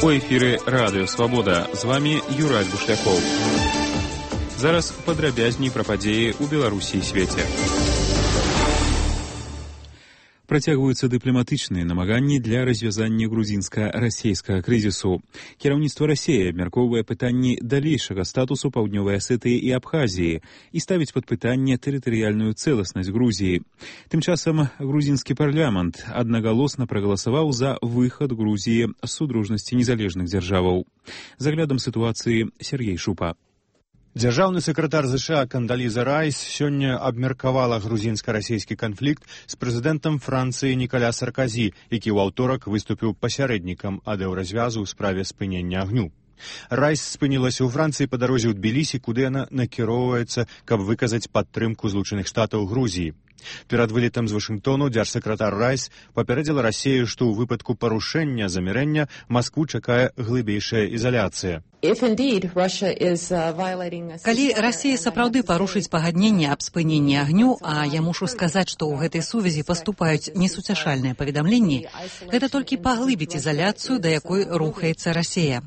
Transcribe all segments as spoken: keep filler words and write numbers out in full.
У эфіры Радыё Свабода. З вами Юрай Бушлякоў. Зараз падрабязней пра падзеі ў Беларусі і свеце. Працягваюцца дыпламатычныя намаганні для развязання грузінска-расейскага крызісу. Кіраўніцтва Расіі абмяркоўвае пытанні далейшага статусу Паўднёвай Асетыі і Абхазіі і ставіць пад пытанне тэрытарыяльную цэласнасць Грузіі. Тым часам грузінскі парламент аднагалосна прагаласаваў за выхад Грузіі з судружнасці незалежных дзяржаваў. З аглядам сітуацыі Сергей Шупа. Дзяржаўны сакратар ЗША Кандаліза Райс сёння абмеркавала грузінска-расейскі канфлікт з прэзідэнтам Францыі Нікаля Сарказі, які ў аўторак выступіў пасярэднікам адэўразвязу ў справе спынення агню. Райс спынілася ў Францыі па дарозе ў Тбілісі, куды яна накіроўваецца, каб выказаць падтрымку Злучаных Штатаў Грузіі. Перад вылетам з Вашынгтону дзяржсакратар Райс папярэдзіла Расію, што ў выпадку парушэння замірэння Маскву чакае глыбейшая ізаляцыя. Калі Расія сапраўды парушыць пагадненне аб спыненні агню, а я мушу сказаць, што ў гэтай сувязі паступаюць несуцяшальныя паведамленні, гэта толькі паглыбіць ізаляцыю, да якой рухаецца Расія.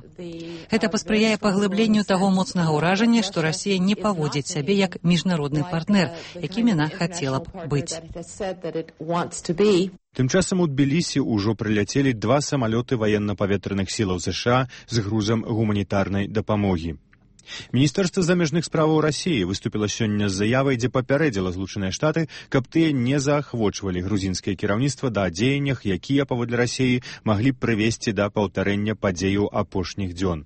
Гэта паспрыяе паглыбленню таго моцнага ўражання, што Расія не паводзіць сябе як міжнародны партнер, якім яна хацела б быць. Тым часам у Тбілісі ўжо прыляцелі два самалёты ваенна-паветраных сілаў ЗША з грузам гуманітарнай дапамогі. Міністэрства замежных справаў Расіі выступіла сёння з заявай, дзе папярэдзіла Злучаныя Штаты, каб тыя не заахвочвалі грузінскае кіраўніцтва да дзеяннях, якія, паводле Расіі, маглі б прывесці да паўтарэння падзеяў апошніх дзён.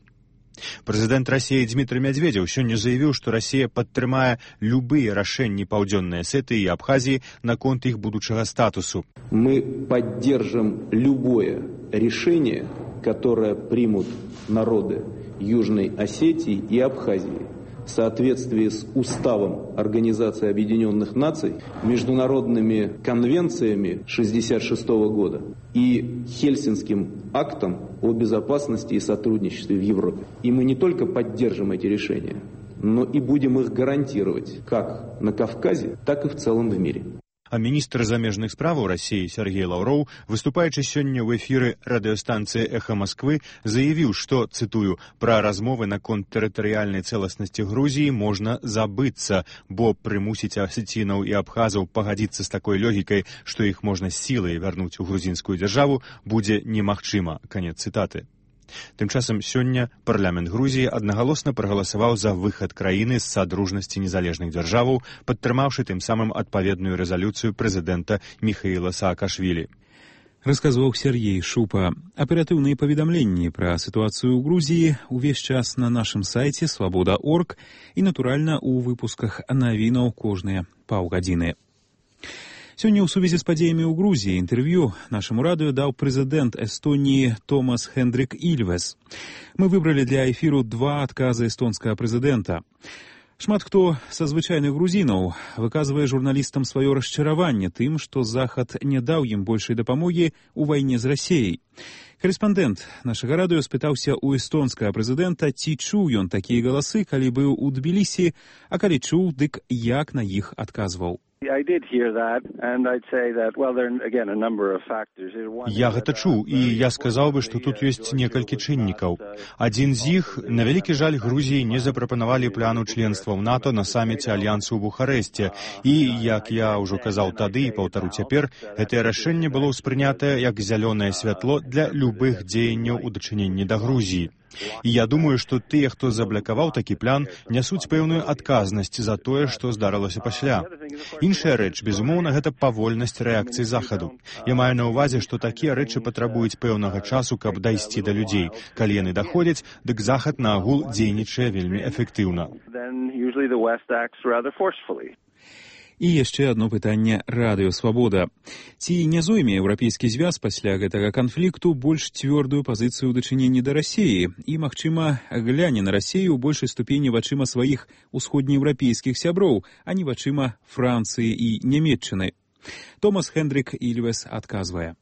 Прэзідэнт Расіі Дмітрый Мядзведзеў сёння заявіў, што Расія падтрымае любыя рашэнні Паўдзённай Асетыі і Абхазіі наконт іх будучага статусу. Мы поддержим любое решение, которое примут народы Южной Осетии и Абхазии в соответствии с Уставом Организации Объединенных Наций, международными конвенциями шестьдесят шестого года и Хельсинским актом о безопасности и сотрудничестве в Европе. И мы не только поддержим эти решения, но и будем их гарантировать как на Кавказе, так и в целом в мире. А міністр замежных справаў Расіі Сергей Лаўроў, выступаючы сёння ў эфіры радыёстанцыі «Эхо Москвы», заявіў, што, цытую, «пра размовы наконт тэрытарыяльнай цэласнасці Грузіі можна забыцца, бо прымусіць асецінаў і абхазаў пагадзіцца з такой логікай, што іх можна сілай вярнуць у грузінскую дзяржаву, будзе немагчыма». Канец цытаты. Тым часам сёння парламент Грузіі аднагалосна прагаласаваў за выхад краіны з садружнасці незалежных дзяржаваў, падтрымаўшы тым самым адпаведную рэзалюцыю прэзідэнта Міхаіла Саакашвілі. Расказваў Сергей Шупа. Аператыўныя паведамленні пра сітуацыю ў Грузіі увесь час на нашым сайце свабода точка орг і, натуральна, у выпусках навінаў кожныя паўгадзіны. Сёння ў сувязі з падзеямі ў Грузіі інтэрв'ю нашаму радыё даў прэзідэнт Эстоніі Томас Хендрик Ільвес. Мы выбралі для эфіру два адказы эстонскага прэзідэнта. Шмат хто са звычайных грузінаў выказвае журналістам сваё расчараванне тым, што Захад не даў ім большай дапамогі ў вайне з Расіяй. Карэспандэнт нашага радыё спытаўся ў эстонскага прэзідэнта, ці чуў ён такія галасы, калі быў у Тбілісі, а калі чуў, дык як на іх адказваў. Я гэта чуў, і я сказаў бы, што тут ёсць некалькі чыннікаў. Адзін з іх, на вялікі жаль, Грузіі не запрапанавалі пляну членства ў НАТО на саміце Альянсу ў Бухарэсце. І, як я ўжо казаў тады і паўтару цяпер, гэтае рашэнне было ўспрынятае як зялёнае святло для любых дзеянняў у дачыненні да Грузіі. І я думаю, што тыя, хто заблакаваў такі план, нясуць пэўную адказнасць за тое, што здарылася пасля. Іншая рэч, безумоўна, гэта павольнасць рэакцыі Захаду. Я маю на ўвазе, што такія рэчы патрабуюць пэўнага часу, каб дайсці да людзей. Калі яны даходзяць, дык Захад на агул дзейнічае вельмі эфектыўна. І яшчэ адно пытанне радыё «Свабода». Ці не зойме еўрапейскі звяз пасля гэтага канфлікту больш цвёрдую пазіцыю ў дачыненні да Расіі і, магчыма, гляне на Расію ў большай ступені вачыма сваіх усходнееўрапейскіх сяброў, а не вачыма Францыі і Нямецчыны? Томас Хендрик Ільвес адказвае.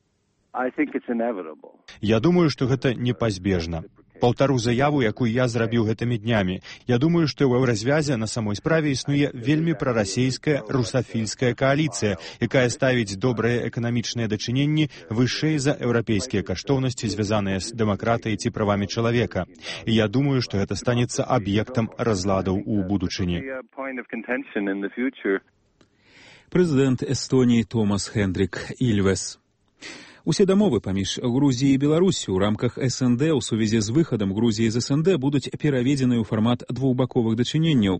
Я думаю, што гэта непазбежна. Паўтару заяву, якую я зрабіў гэтымі днямі. Я думаю, што ў еўразвязе на самой справе існуе вельмі прарасійская русафільская кааліцыя, якая ставіць добрыя эканамічныя дачыненні вышэй за еўрапейскія каштоўнасці, звязаныя з дэмакратыяй ці правамі чалавека. І я думаю, што гэта станецца аб'ектам разладаў у будучыні. Прэзідэнт Эстоніі Томас Хендрик Ільвес. Усе дамовы паміж Грузіяй і Беларусю ў рамках эс эн дэ ў сувязі з выхадам Грузіі з эс эн дэ будуць пераведзены ў фармат двухбаковых дачыненняў.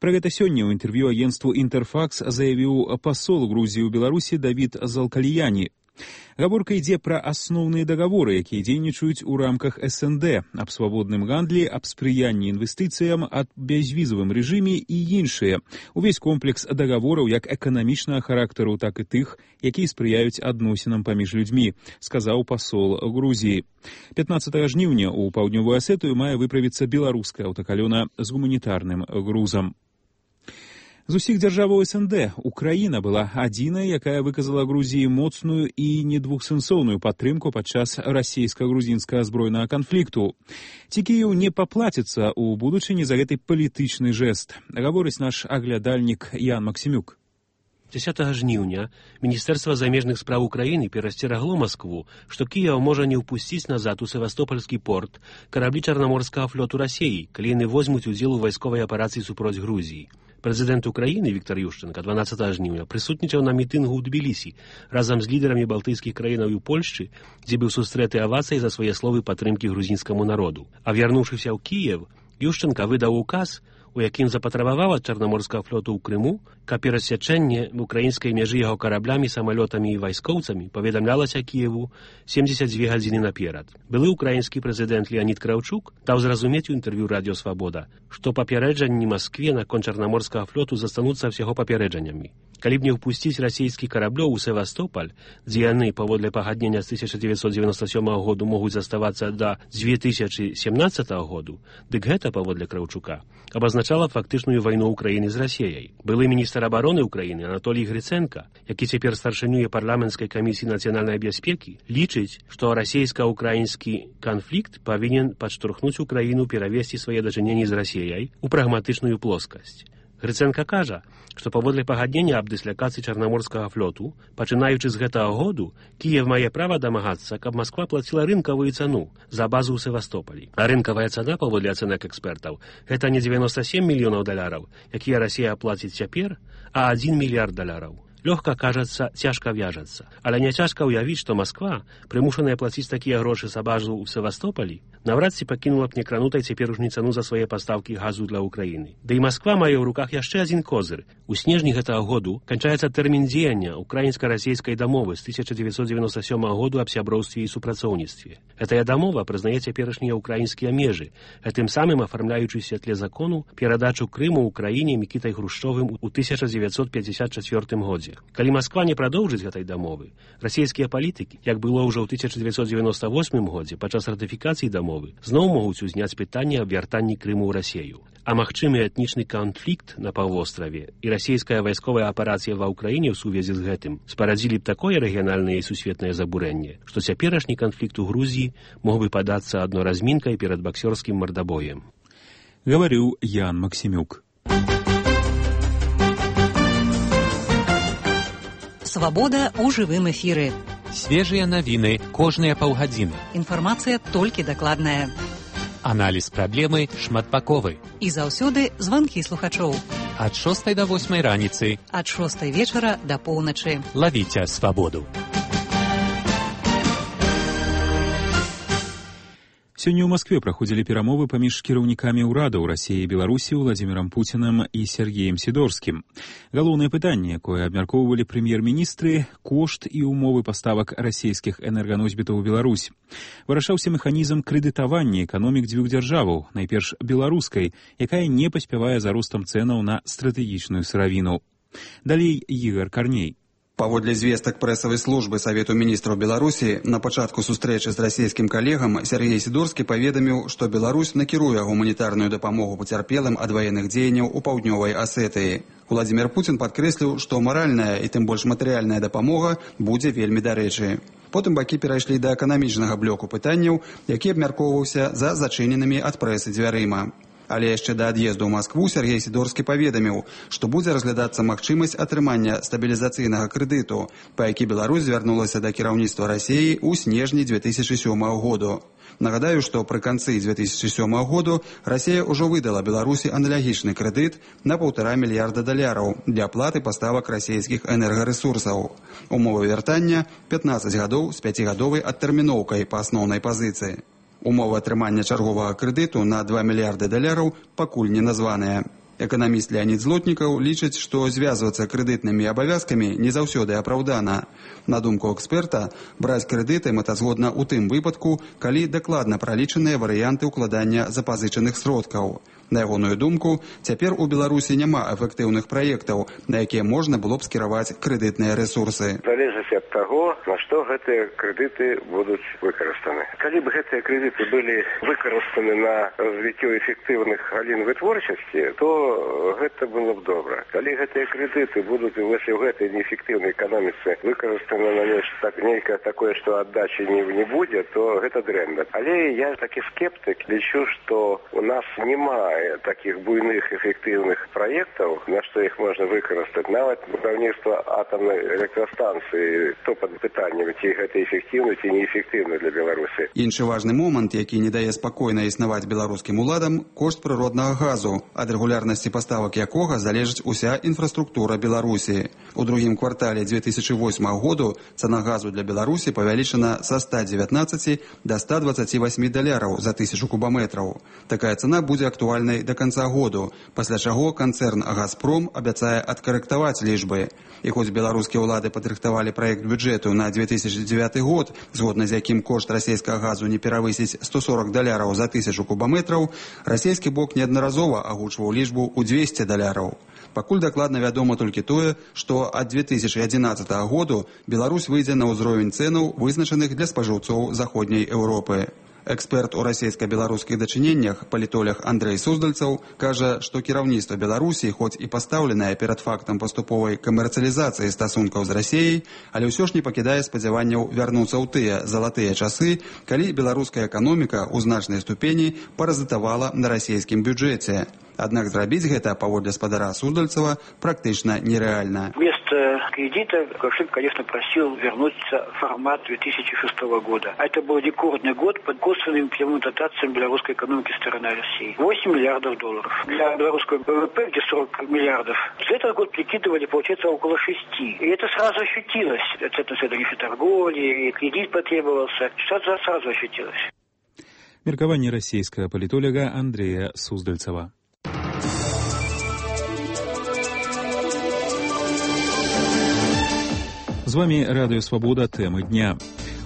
Пра гэта сёння ў інтэрв'ю агенцтву «Інтэрфакс» заявіў пасол Грузіі ў Беларусі Давід Залкаліяні. Гаворка ідзе пра асноўныя дагаворы, якія дзейнічаюць у рамках эс эн дэ, аб свабодным гандлі, аб спрыянні інвестыцыям, аб бязвізавым рэжыме і іншыя. Увесь комплекс дагавораў як эканамічнага характару, так і тых, якія спрыяюць адносінам паміж людзьмі, сказаў пасол Грузіі. пятнаццатага жніўня ў паўднёвую Асетыю мае выправіцца беларуская аўтакалёна з гуманітарным грузам. З усіх дзяржаваў эс эн дэ Украіна была адзіная, якая выказала Грузіі моцную і недвухсэнсоўную падтрымку падчас расійска-грузінскага збройнага канфлікту. Ці Кіеў не паплаціцца ў будучыні за гэты палітычны жэст, гаворыць наш аглядальнік Ян Максімюк. дзесятага жніўня Міністэрства замежных спраў Украіны перасцерагло Маскву, што Кіеў можа не ўпусціць назад у Севастопольскі порт караблі Чарнаморскага флоту Расіі, калі яны возьмуць удзел у вайсковай аперацыі супроць Грузіі. Прэзідэнт Украіны Віктор Ющенка дванаццатага жніўня прысутнічаў на мітынгу ў Тбілісі разам з лідарамі балтыйскіх краінаў і Польшчы, дзе быў сустрэты авацыяй за свае словы падтрымкі грузінскаму народу. А вярнуўшыся ў Кіеў, Ющенка выдаў указ, у якім запатрабаваў ад Чарнаморскага флоту ў Крыму, каб перасячэнне украінскай мяжы яго караблямі, самалётамі і вайскоўцамі паведамлялася Кіеву семдзесят дзве гадзіны наперад. Былы украінскі прэзідэнт Леонід Краўчук даў зразумець у інтэрв'ю радыё «Свабода», што папярэджанні Маскве наконт Чарнаморскага флоту застануцца ўсяго папярэджаннямі. Калі б не ўпусціць расійскі караблёў у Севастополь, дзе яны, паводле пагаднення з тысяча дзевяцьсот дзевяноста сёмага году могуць заставацца да дзве тысячы сямнаццатага году, дык гэта, паводле Краўчука, абазначала фактычную вайну Украіны з Расіяй. Былы міністр абароны Украіны Анатолій Грыценка, які цяпер старшынюе парламенцкай камісіі нацыянальнай бяспекі, лічыць, што расійска-украінскі канфлікт павінен падштурхнуць Украіну перавесці свае дачыненні з Расіяй у прагматычную плоскасць. Грыценка кажа, што паводле пагаднення аб дыслякацыі Чарнаморскага флоту, пачынаючы з гэтага году, Кіеў мае права дамагацца, каб Масква плаціла рынкавую цану за базу ў Севастополі. А рынкавая цана, паводле ацэнак экспертаў, гэта не дзевяноста сем мільёнаў даляраў, якія Расія плаціць цяпер, а адзін мільярд даляраў. Лёгка кажацца, цяжка вяжацца. Але не цяжка ўявіць, што Масква, прымушаная плаціць такія грошы за базу ў Севастополі, наврад ці пакінула б некранутай цяперашнюю цану за свае пастаўкі газу для Украіны. Да і Масква мае ў руках яшчэ адзін козыр. У снежні гэтага году канчаецца тэрмін дзеяння украінска-расійскай дамовы з тысяча дзевяцьсот дзевяноста сёмага году аб сяброўстве і супрацоўніцтве. Гэтая дамова прызнае цяперашнія ўкраінскія межы, гэтым самым афармляючы ў святле закону перадачу Крыму Украіне Мікітай Хрушчовым у тысяча дзевяцьсот пяцьдзясят чацвёртым годзе. Калі Масква не прадоўжыць гэтай дамовы, расійскія палітыкі, як было ўжо ў тысяча дзевяцьсот дзевяноста восьмым годзе падчас ратыфікацыі дамовы, зноў могуць узняць пытанне аб вяртанні Крыму ў Расію. А магчымы этнічны канфлікт на паўвостраве і расійская вайсковая аперацыя ва ўкраіне ў сувязі з гэтым спарадзілі б такое рэгіянальнае і сусветнае забурэнне, што цяперашні канфлікт у Грузіі мог бы падацца адно размінкай перад баксёрскім мардабоем. Гаварыў Ян Максімюк. Свабода ў жывым эфіры. Свежыя навіны кожныя паўгадзіны. Інфармацыя толькі дакладная. Аналіз праблемы шматбаковы. І заўсёды званкі слухачоў. Ад шостай да восьмай раніцы. Ад шостай вечара да поўначы. Лавіце свабоду. Сёння ў Маскве праходзілі перамовы паміж кіраўнікамі ўрадаў Расіі і Беларусі Владзімірам Пуцінам і Сергеем Сідорскім. Галоўнае пытанне, якое абмяркоўвалі прэм'ер-міністры, кошт і ўмовы паставак расійскіх энерганосьбітаў у Беларусь. Вырашаўся механізм крэдытавання эканомік дзвюх дзяржаваў, найперш беларускай, якая не паспявае за ростам цэнаў на стратэгічную сыравіну. Далей Ігар Карней. Паводле звестак прэсавай службы Савету міністраў Беларусі, на пачатку сустрэчы з расійскім калегам Сергей Сідорскі паведаміў, што Беларусь накіруе гуманітарную дапамогу пацярпелым ад ваенных дзеянняў у паўднёвай Асетыі. Владзімір Пуцін падкрэсліў, што маральная і тым больш матэрыяльная дапамога будзе вельмі дарэчы. Потым бакі перайшлі да эканамічнага блоку пытанняў, які абмяркоўваўся за зачыненымі ад прэсы дзвярыма. Але яшчэ да ад'езду ў Маскву Сергей Сідорскі паведаміў, што будзе разглядацца магчымасць атрымання стабілізацыйнага крэдыту, па які Беларусь звярнулася да кіраўніцтва Расіі ў снежні дзве тысячы сёмага году. Нагадаю, што пры канцы дзве тысячы сёмага году Расія ўжо выдала Беларусі аналагічны крэдыт на паўтара мільярда даляраў для аплаты паставак расійскіх энергарэсурсаў. Умовы вяртання пятнаццаць гадоў з пяцігадовай адтэрміноўкай па асноўнай пазіцыі. Умовы атрымання чарговага крэдыту на два мільярды даляраў пакуль не названыя. Эканаміст Леонід Злотнікаў лічыць, што звязвацца крэдытнымі абавязкамі не заўсёды апраўдана. На думку эксперта, браць крэдыты мэтазгодна ў тым выпадку, калі дакладна пралічаныя варыянты ўкладання запазычаных сродкаў. На ягоную думку, цяпер у Беларусі няма эфектыўных праектаў, на якія можна было б скіраваць крэдытныя рэсурсы. Залежыць ад таго, на што гэтыя крэдыты будуць выкарыстаны. Калі б гэтыя крэдыты былі выкарыстаны на развіццё эфектыўных галін вытворчасці, то гэта было б добра. Калі гэтыя крэдыты будуць у гэтай неэфектыўнай эканоміцы выкарыстаны на нешта нейкае такое, што аддачы не, не будзе, то гэта дрэнна. Але я такі скептык, лічу, што у нас немає таких буйных эфектыўных праектаў, на што іх можна выкарыстаць. Нават будаўніцтва атамнай электрастанцыі, то пад пытаннем, ці гэта эфектыўна, ці неэфектыўна для Беларусі. Іншы важны момант, які не дае спакойна існаваць беларускім уладам, кошт прыроднага газу, ад рэгулярнасці паставак якога залежыць уся інфраструктура Беларусі. У другім квартале дзве тысячы восьмага году цана газу для Беларусі павялічана са ста дзевятнаццаці да ста дваццаці васьмі даляраў за тысячу кубаметраў. Такая цана будзе актуальнай да канца году, пасля чаго канцэрн «Газпром» абяцае адкарэктаваць лічбы. І хоць беларускія ўлады падрыхтавалі праект бюджэту на дзве тысячы дзевяты год, згодна з якім кошт расійскага газу не перавысіць сто сорок даляраў за тысячу кубаметраў, расійскі бок неаднаразова агучваў лічбу ў дзвесце даляраў. Пакуль дакладна вядома толькі тое, што ад дзве тысячы адзінаццатага году Беларусь выйдзе на ўзровень цэнаў, вызначаных для спажыўцоў заходняй Еўропы. Эксперт у расійска-беларускіх дачыненнях, палітолог Андрэй Суздальцаў, кажа, што кіраўніцтва Беларусі, хоць і пастаўленае перад фактам паступовай камерцыялізацыі стасункаў з Расіяй, але ўсё ж не пакідае спадзяванняў вярнуцца ў тыя залатыя часы, калі беларуская эканоміка ў значнай ступені паразітавала на расійскім бюджэце. Аднак зрабіць гэта, паводле спадара Суздальцева, практычна нереально. Вместо кредита Лукашенко, конечно, просил вернуться в формат две тысячи шестого года. А это был рекордный год под косвенными прямыми дотациями белорусской экономики со стороны России. восемь миллиардов долларов. Для белорусского ВВП, где сорок миллиардов, за этот год прикидывали, получается, около шести. И это сразу ощутилось. Это тарифы торговли, и кредит потребовался. Сразу, сразу ощутилось. Меркаванне расійскага палітолага Андрэя Суздальцева. З вами Радыё Свабода, тэмы дня.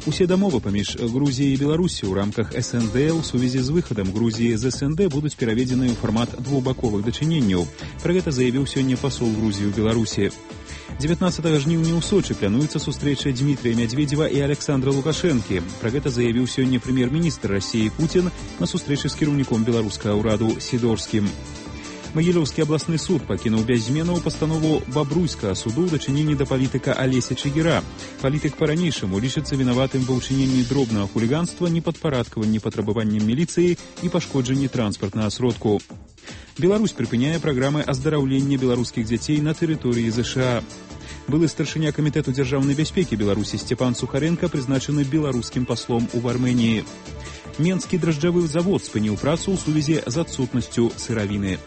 Усе дамовы паміж Грузіяй і Беларусі ў рамках эс эн дэ ў сувязі з выхадам Грузіі з эс эн дэ будуць пераведзены ў фармат двухбаковых дачыненняў. Пра гэта заявіў сёння пасол Грузіі ў Беларусі. дзевятнаццатага жніўня ў Сочы плануецца сустрэча Дмітрия Мядзведзева і Александра Лукашэнкі. Пра гэта заявіў сёння прэм'ер-міністр Расіі Пуцін на сустрэчы з кіраўніком беларускага ўраду Сідорскім. Магілёўскі абласны суд пакінуў без зменаў пастанову бабруйскага суду ў дачыненні да палітыка Алеся Чыгіра. Палітык па-ранейшаму лічыцца вінаватым ва ўчыненні дробнага хуліганства, непадпарадкаванні патрабаванням міліцыі і пашкоджанні транспартнага сродку. Беларусь прыпыняе праграмы аздараўлення беларускіх дзяцей на тэрыторыі ЗША. Былы старшыня камітэту дзяржаўнай бяспекі Беларусі Сцепан Сухаренко прызначаны беларускім паслом у Арменіі. Менскі дражджавы завод спыніў працу ў сувязі з адсутнасцю сыравіны.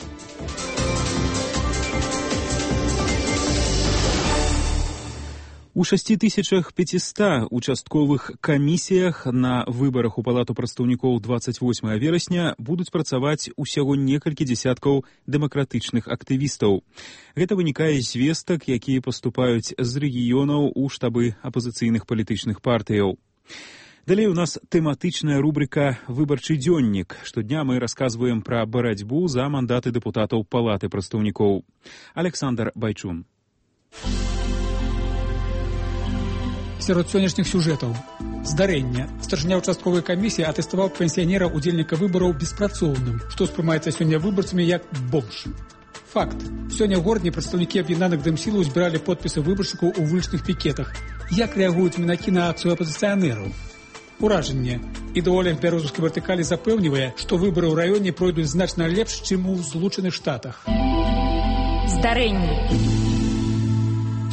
У шасці тысячах пяціста участковых камісіях на выбарах у палату прадстаўнікоў двадцать восьмага верасня будуць працаваць усяго некалькі дзесяткаў дэмакратычных актывістаў. Гэта вынікае з звестак, якія паступаюць з рэгіёнаў у штабы апазіцыйных палітычных партыяў. Далей у нас тэматычная рубрика «Выбарчы дзённік». Штодня мы расказваем пра барацьбу за мандаты дэпутатаў палаты прадстаўнікоў. Александр Байчун. Сярод сённяшніх сюжэтаў. Здарэнне. Старшыня участковай камісіі атэставаў пенсіянера удзельніка выбараў беспрацоўным, што спрымаецца сёння выбарцамі як бомж. Факт. Сёння ў горадзе прадстаўнікі аб'яднаных дэмсілаў збіралі подпісы выбаршчыкаў у вулічных пікетах. Як рэагуюць мінакі на акцыю апазіцыянераў? Уражанне. Ідэолог бярозаўскай вертыкалі запэўнівае, што выбары ў раёне пройдуць значна лепш, чым у Злучаных Штатах. Здарэнне.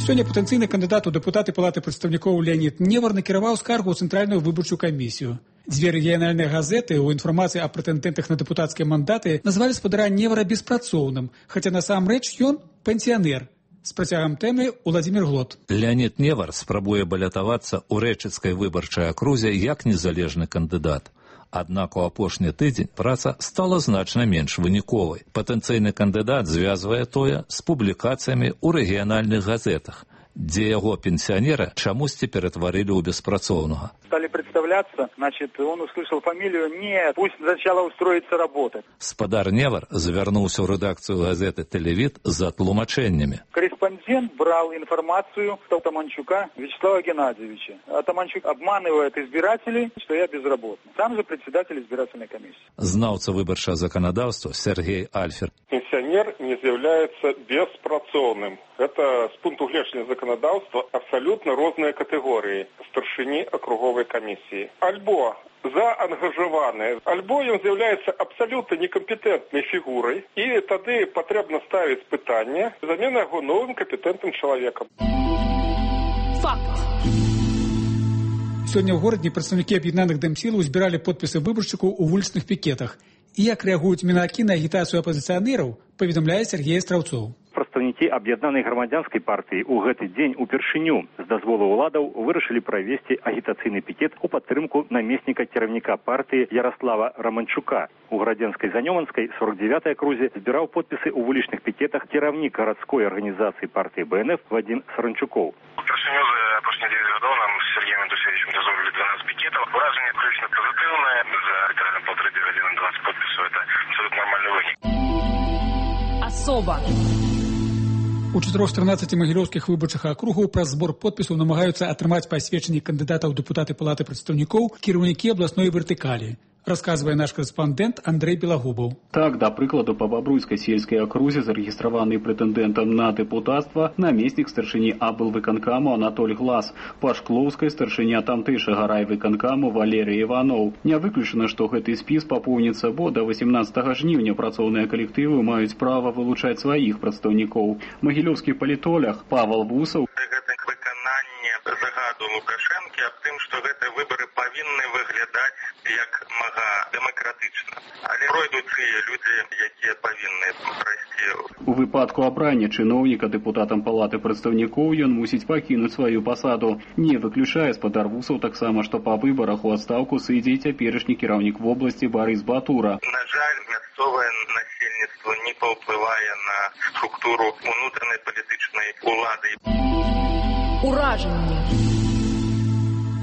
Сёння патэнцыйны кандыдат у дэпутаты палаты прадстаўнікоў Леонід Невар накіраваў скаргу ў цэнтральную выбарчую камісію. Дзве рэгіянальныя газеты ў інфармацыі аб прэтэндэнтах на дэпутацкія мандаты назвалі спадара Невара беспрацоўным, хаця насамрэч ён пенсіянер. З працягам тэмы Уладзімір Глот. Леонід Невар спрабуе балятавацца ў рэчыцкай выбарчай акрузе як незалежны кандыдат. Аднак у апошні тыдзень праца стала значна менш выніковай. Патэнцыйны кандыдат звязвае тое з публікацыямі ў рэгіянальных газетах, дзе яго пенсионера чамусьці ператварили у беспрацоўнага. Стали представляться, значит, он услышал фамилию, нет, пусть сначала устроится работать. Спадар Невар завярнуўся ў рэдакцыю газеты «Телевид» за тлумачэннямі. Корреспондент брал информацию от Атаманчука Вячеслава Геннадьевича. Атаманчук обманывает избирателей, что я безработный. Сам же председатель избирательной комиссии. Знаўца выбарчага заканадаўства Сергей Альфер. Пенсионер не з'яўляецца беспрацоўным. Это с пункту гледжання законодавства абсолютно розныя катэгорыі старшыні акруговай камісіі. Альбо заангажаваны, альбо ён з'яўляецца абсалютна некампетэнтнай фігурай, і тады патрэбна ставіць пытанне замена яго новым кампетэнтным чалавекам. Факт. Сёння ў горадзе прадстаўнікі аб'яднаных дэмсілаў збіралі подпісы выбаршчыкаў у вулічных пікетах. І як рэагуюць мінакі на агітацыю апазіцыянераў, паведамляе Сергей Страўцоў. Прадстаўнікі аб'яднанай грамадзянскай партыі ў гэты дзень упершыню з дазволу ўладаў вырашылі правесці агітацыйны пікет у падтрымку намесніка кіраўніка партыі Ярослава Романчука. У Градзенскай Занёманскай сорок девятой акрузе збіраў подпісы ў вулічных пікетах кіраўнік гарадской арганізацыі партыі Бэ Эн Эф Вадзім Саранчукоў. Упершыню за апошнія дзевяць гадоў нам з Сергеем Антусевичем дазволілі дванаццаць пікетаў. Уражанне крычна пазітыўнае. За літаральна полторы гадзіны двадцать подпісаў. Это абсолютно нормальны вынік. Асоба. У чатырох з трынаццаці магілёўскіх выбарчых акругаў праз збор подпісаў намагаюцца атрымаць пасведчанні кандыдатаў у дэпутаты палаты прадстаўнікоў кіраўнікі абласной вертыкалі. Расказвае наш корэспандэнт Андрэй Белагубаў. Так, да прыкладу, па Бабруйскай сельскай акрузе зарэгістраваны прэтэндэнтам на дэпутацтва намеснік старшыні аблвыканкаму Анатоль Глас, па Шклоўскай старшыня тамтэйшага райвыканкаму Валерый Іваноў. Не выключана, што гэты спіс папоўніцца, бо да васемнаццатага жніўня працоўныя калектывы маюць права вылучаць сваіх прадстаўнікоў. Магілёўскі палітолог Павел Вусаў. Загаду Лукашэнкі аб тым, што гэтыя выбары павінны выглядаць як мага дэмакратычна. Але пройдуць тыя людзі, якія павінны прайсці. У выпадку абрання чыноўніка дэпутатам палаты прадстаўнікоў ён мусіць пакінуць сваю пасаду. Не выключае спадар Вусаў таксама, што па выбарах у адстаўку сыдзе і цяперашні кіраўнік вобласці Барыс Батура. На жаль, мясцовае насельніцтва не паўплывае на структуру унутранай палітычнай улады. Уражанне.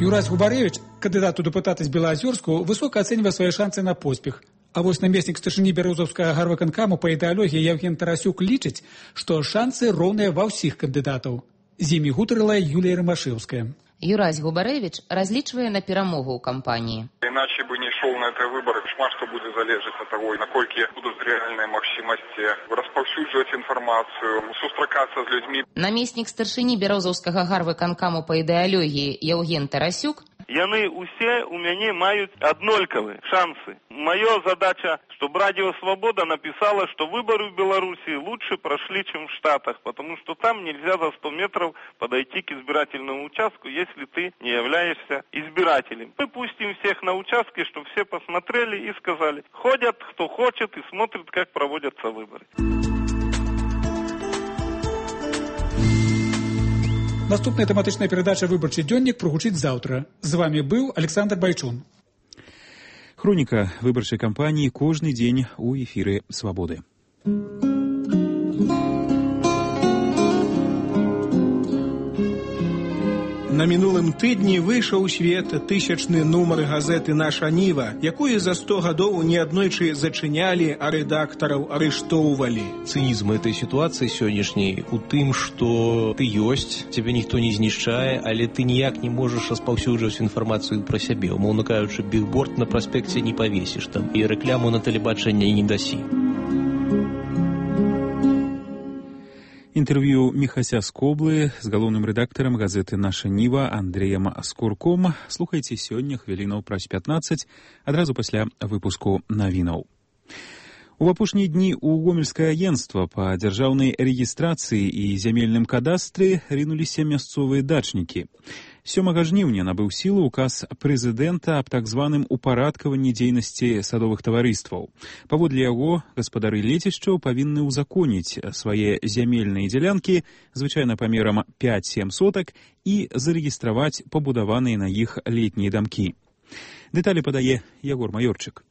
Юрась Губарэвіч, кандыдат у дэпутаты з Белаазёрску, высока ацэньвае свае шансы на поспех. А вось намеснік старшыні бярозаўскага гарвыканкаму па ідэалогіі Евген Тарасюк лічыць, што шансы роўныя ва ўсіх кандыдатаў. З імі гутарыла Юлія Рамашэўская. Юрась Губарэвіч разлічвае на перамогу ў кампаніі. Иначе бы не шел на эти выборы. Шмат что будет залежать от того, наколькі будут реальные магчимости распаўсюджваць информацию, сустракаться с людьми. Намеснік старшыні бярозаўскага гарвыканкаму па ідэалогіі Евген Тарасюк. Яны усе у мяне маюць аднолькавыя шансы. Моя задача, чтобы Радио Свобода написала, что выборы в Беларуси лучше прошли, чем в Штатах, потому что там нельзя за сто метров подойти к избирательному участку, если ты не являешься избирателем. Мы пустим всех на участке, чтобы все посмотрели и сказали, ходят кто хочет и смотрят, как проводятся выборы. Наступная тэматычная перадача «Выбарчы дзённік» прагучыць заўтра. З вами быў Александр Байчун. Хроніка выбарчай кампаніі кожны дзень у эфіры «Свабоды». На мінулым тыдні выйшаў у свет тысячны нумар газеты «Наша Ніва», якую за сто гадоў неаднойчы зачынялі, а рэдактараў арыштоўвалі. Цынізм этой ситуации сённяшняй у тым, што ты ёсць, цябе ніхто не знішчае, але ты ніяк не можаш распаўсюджваць інфармацыю пра сябе. Умоўна кажучы, бігборд на праспекце не павесіш там і рэкляму на тэлебачанне не дасі. Інтэрв'ю Міхася Скоблы з галоўным рэдактарам газеты «Наша Ніва» Андреем Скурком слухайце сёння хвілінаў праз пятнаццаць, адразу пасля выпуску навінаў. У апошнія дні ў гомельскае агенцтва па дзяржаўнай рэгістрацыі і зямельным кадастры рынуліся мясцовыя дачнікі. сёмага жніўня набыў сілу указ прэзідэнта аб так званым упарадкаванні дзейнасці садовых таварыстваў. Паводле яго гаспадары лецішчаў павінны ўзаконіць свае зямельныя дзялянкі, звычайна памерам пяць-сем сотак, і зарэгістраваць пабудаваныя на іх летнія дамкі. Дэталі падае Ягор Маёрчык.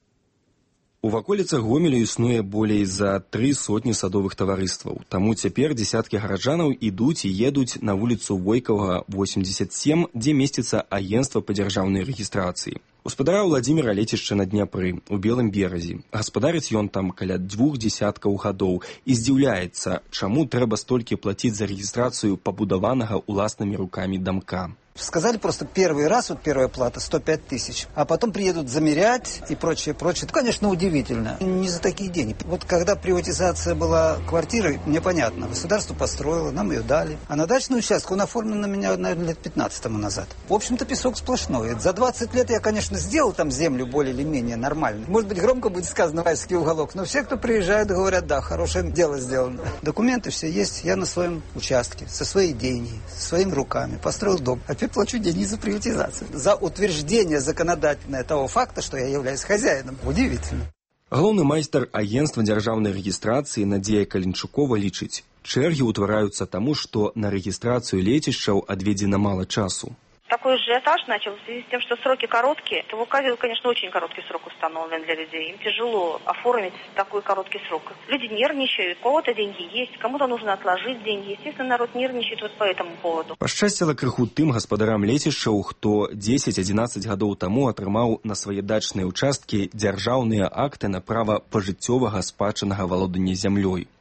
У ваколіцах Гомеля існуе болей за тры сотні садовых таварыстваў. Таму цяпер дзесяткі гараджанаў ідуць і едуць на вуліцу Войкавага, восемьдесят семь, дзе месціцца агенцтва па дзяржаўнай рэгістрацыі. Гаспадара Владзіміра лецішча на Дняпры, у Белым беразе. Гаспадарыць ён там каля двух дзесяткаў гадоў і здзіўляецца, чаму трэба столькі плаціць за рэгістрацыю пабудаванага уласнымі рукамі дамка. Сказали просто первый раз, вот первая плата, сто пять тысяч, а потом приедут замерять и прочее, прочее. Это, конечно, удивительно. Не за такие деньги. Вот когда приватизация была квартиры, мне понятно, государство построило, нам ее дали. А на дачный участок он оформлен на меня, наверное, лет пятнадцать тому назад. В общем-то, песок сплошной. За двадцать лет я, конечно, сделал там землю более или менее нормально. Может быть, громко будет сказано «Вайский уголок», но все, кто приезжает, говорят, да, хорошее дело сделано. Документы все есть, я на своем участке, со своей деньги, своими руками построил дом. Теперь плачу деньги за приватизацию. За утверждение законодательное того факта, что я являюсь хозяином. Удивительно. Галоўны майстар агенцтва дзяржаўнай рэгістрацыі Надзея Калінчукова лічыць, чэргі ўтвараюцца таму, што на рэгістрацыю лецішчаў адведзена мала часу. Такой ажиотаж начал в связи с тем, что сроки короткие. В указе, конечно, очень короткий срок установлен для людей. Им тяжело оформить такой короткий срок. Люди нервничают, у кого-то деньги есть, кому-то нужно отложить деньги. Естественно, народ нервничает вот по этому поводу. Пашчасціла крыху тым гаспадарам лецішчаў, хто дзесяць-адзінаццаць гадоў таму атрымаў на свае дачныя ўчасткі дзяржаўныя акты на права пажыццёвага спадчыннага валодання зямлёй.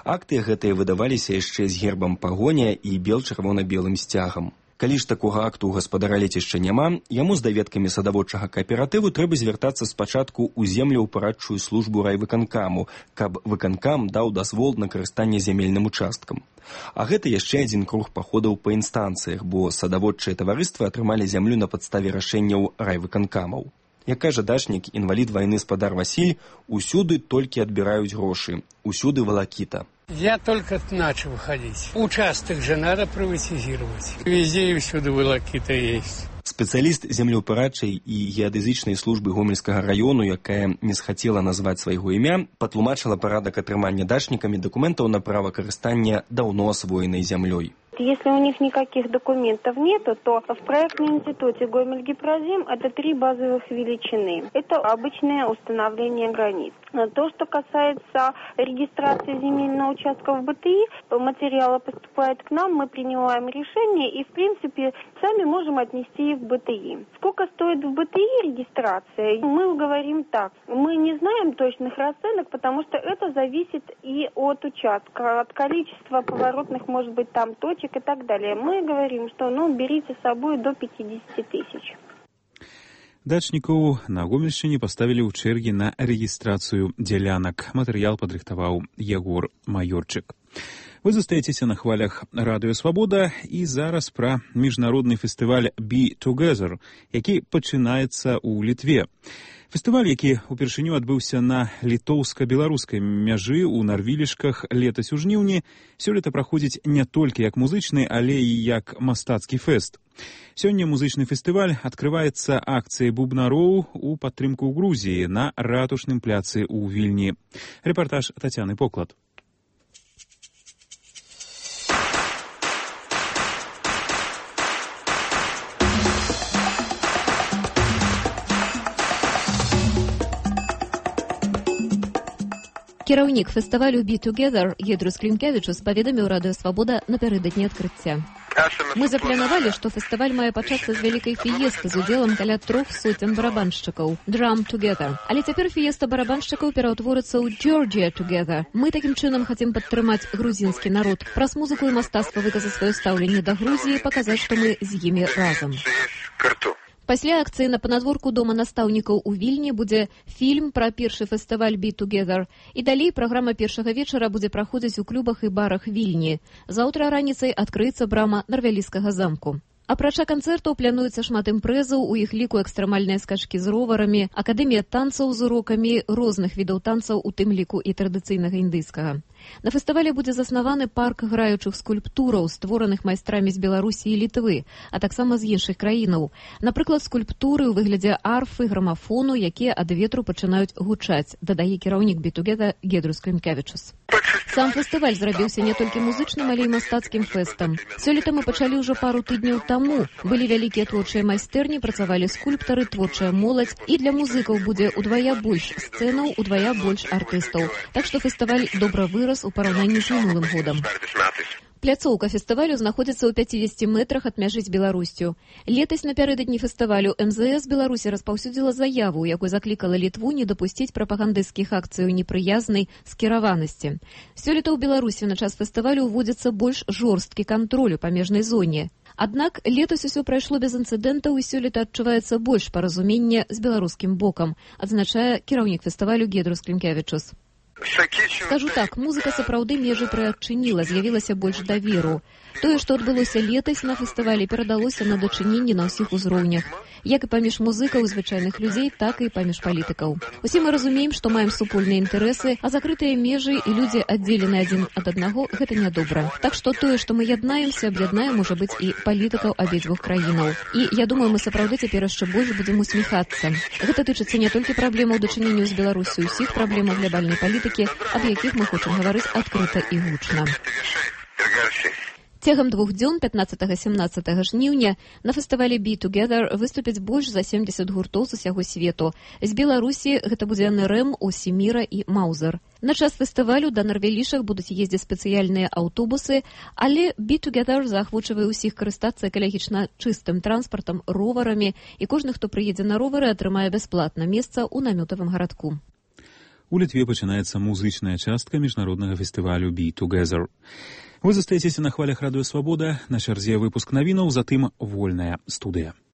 Акты гэтыя выдаваліся яшчэ з гербам пагоня і бел-чырвона-белым сцягам. Калі ж такога акту ў гаспадара лецішча няма, яму з даведкамі садаводчага кааператыву трэба звяртацца спачатку ў землеўпарадчую службу райвыканкаму, каб выканкам даў дазвол на карыстанне зямельным участкам. А гэта яшчэ адзін круг паходаў па інстанцыях, бо садаводчыя таварыствы атрымалі зямлю на падставе рашэнняў райвыканкамаў. Як кажа дачнік, інвалід вайны спадар Васіль, усюды толькі адбіраюць грошы, усюды валакіта. Я только начал ходить. Участок же надо приватизировать. Везде и всюду волокита есть. Спецыяліст землеўпарадчай і геадэзычнай службы Гомельскага раёну, якая не схацела назваць свайго імя, патлумачыла парадак атрымання дачнікамі дакументаў на права карыстання даўно асвоенай зямлёй. Если у них никаких документов нету, то в проектном институте Гомель-Гипрозем это три базовых величины. Это обычное установление границ. То, что касается регистрации земельного участка в БТИ, материалы поступают к нам, мы принимаем решение и, в принципе, сами можем отнести их в БТИ. Сколько стоит в БТИ регистрация? Мы говорим так. Мы не знаем точных расценок, потому что это зависит и от участка, от количества поворотных, может быть, там точек и так далее. Мы говорим, что ну, берите с собой до пятьдесят тысяч. Дачнікаў на Гомельшчыне паставілі ў чэргі на рэгістрацыю дзялянак. Матэрыял падрыхтаваў Ягор Маёрчык. Вы застаецеся на хвалях Радыё Свабода і зараз пра міжнародны фестываль Be Together, які пачынаецца ў Літве. Фестываль, які ўпершыню адбыўся на літоўска-беларускай мяжы ў Нарвілішках летась у жніўні, сёлета праходзіць не толькі як музычны, але і як мастацкі фэст. Сёння музычны фестываль адкрываецца акцыяй бубнароў у падтрымку Грузіі на ратушным пляцы ў Вільні. Рэпартаж Тацяны Поклад. Кіраўнік фестывалю Be Together Гедрус Клінкевічус паведаміў Радыё Свабода напярэдадні адкрыцця. Мы запланавалі, што фестываль мае пачацца з вялікай фіесты з удзелам каля трох сотен барабаншчыкаў Drum Together. Але цяпер фіеста барабаншчыкаў пераўтворыцца ў Georgia Together. Мы такім чынам хацім падтрымаць грузінскі народ. Праз музыку і мастацтва выказаць сваё стаўленне да Грузіі, паказаць, што мы з імі разам. Пасля акцыі на панадворку дома настаўнікаў у Вільні будзе фільм пра першы фестываль «Be Together». І далей праграма першага вечара будзе праходзіць у клубах і барах Вільні. Заўтра раніцай адкрыецца брама Нарвяліскага замку. Апрача канцэртаў плануецца шмат імпрэзаў, у іх ліку экстрэмальныя скачкі з роварамі, акадэмія танцаў з урокамі розных відаў танцаў, у тым ліку і традыцыйнага індыйскага. На фестывале будзе заснаваны парк граючых скульптураў, створаных майстрамі з Беларусі і Літвы, а таксама з іншых краінаў. Напрыклад, скульптуры ў выглядзе арфы, грамафону, якія ад ветру пачынаюць гучаць, дадае кіраўнік «Be Together» Гедрус Клімкевічус. Сам фестываль зрабіўся не толькі музычным, але і мастацкім фэстам. Сёлета мы пачалі ўжо пару тыдняў таму. Былі вялікія творчыя майстэрні, працавалі скульптары, творчая моладзь, і для музыкаў будзе удвая больш сцэнаў, удвая больш артыстаў. Так што фестываль добра вырас у параўнанні з мінулым годам. Пляцоўка фестывалю знаходзіцца ў пяцідзесяці метрах ад мяжы з Беларусю. Летась напярэдадні фестывалю эм зэ эс Беларусі распаўсюдзіла заяву, якой заклікала Літву не дапусціць прапагандысцкіх акцыяў непрыязнай скіраванасці. Сёлета ў Беларусі на час фестывалю ўводзіцца больш жорсткі кантроль у памежнай зоне. Аднак летась усё прайшло без інцыдэнтаў і сёлета адчуваецца больш паразумення з беларускім бокам, адзначае кіраўнік фестывалю Гедрус Клімкевічус. Скажу так, музыка сапраўды межы прыадчыніла, з'явілася больш даверу. Тое, што адбылося летась на фестывалі, перадалося на дачыненні на ўсіх узроўнях. Як і паміж музыкаў, звычайных людзей, так і паміж палітыкаў. Усе мы разумеем, што маем супольныя інтарэсы, а закрытыя межы і людзі аддзелены адзін ад аднаго – гэта нядобра. Так што тое, што мы яднаемся, аб'яднаем, можа быць, і палітыкаў абедзвюх краінаў. І я думаю, мы сапраўды цяпер яшчэ больш будзем усміхацца. Гэта тычыцца не толькі праблемаў дачынення з Беларусю, усіх праблемаў глобальнай палітыкі, аб якіх мы хочам гаварыць адкрыта і гучна. Цягам двух дзён пятнаццатага-семнаццатага жніўня на фестывалі «Be Together» выступяць больш за семдзесят гуртоў з усяго свету. З Беларусі гэта будзе эн эр эм, Осіміра і Маузер. На час фестывалю да Нарвялішах будуць ездзіць спецыяльныя аўтобусы, але «Be Together» заахвочвае ўсіх карыстацца экалагічна чыстым транспартам, роварамі, і кожны, хто прыедзе на ровары, атрымае бясплатна месца ў намётавым гарадку. У Літве пачынаецца музычная частка міжнароднага фестывалю «Be Together». Вы застаецеся на хвалях радыё «Свабода», на чарзе выпуск навінаў, затым вольная студыя.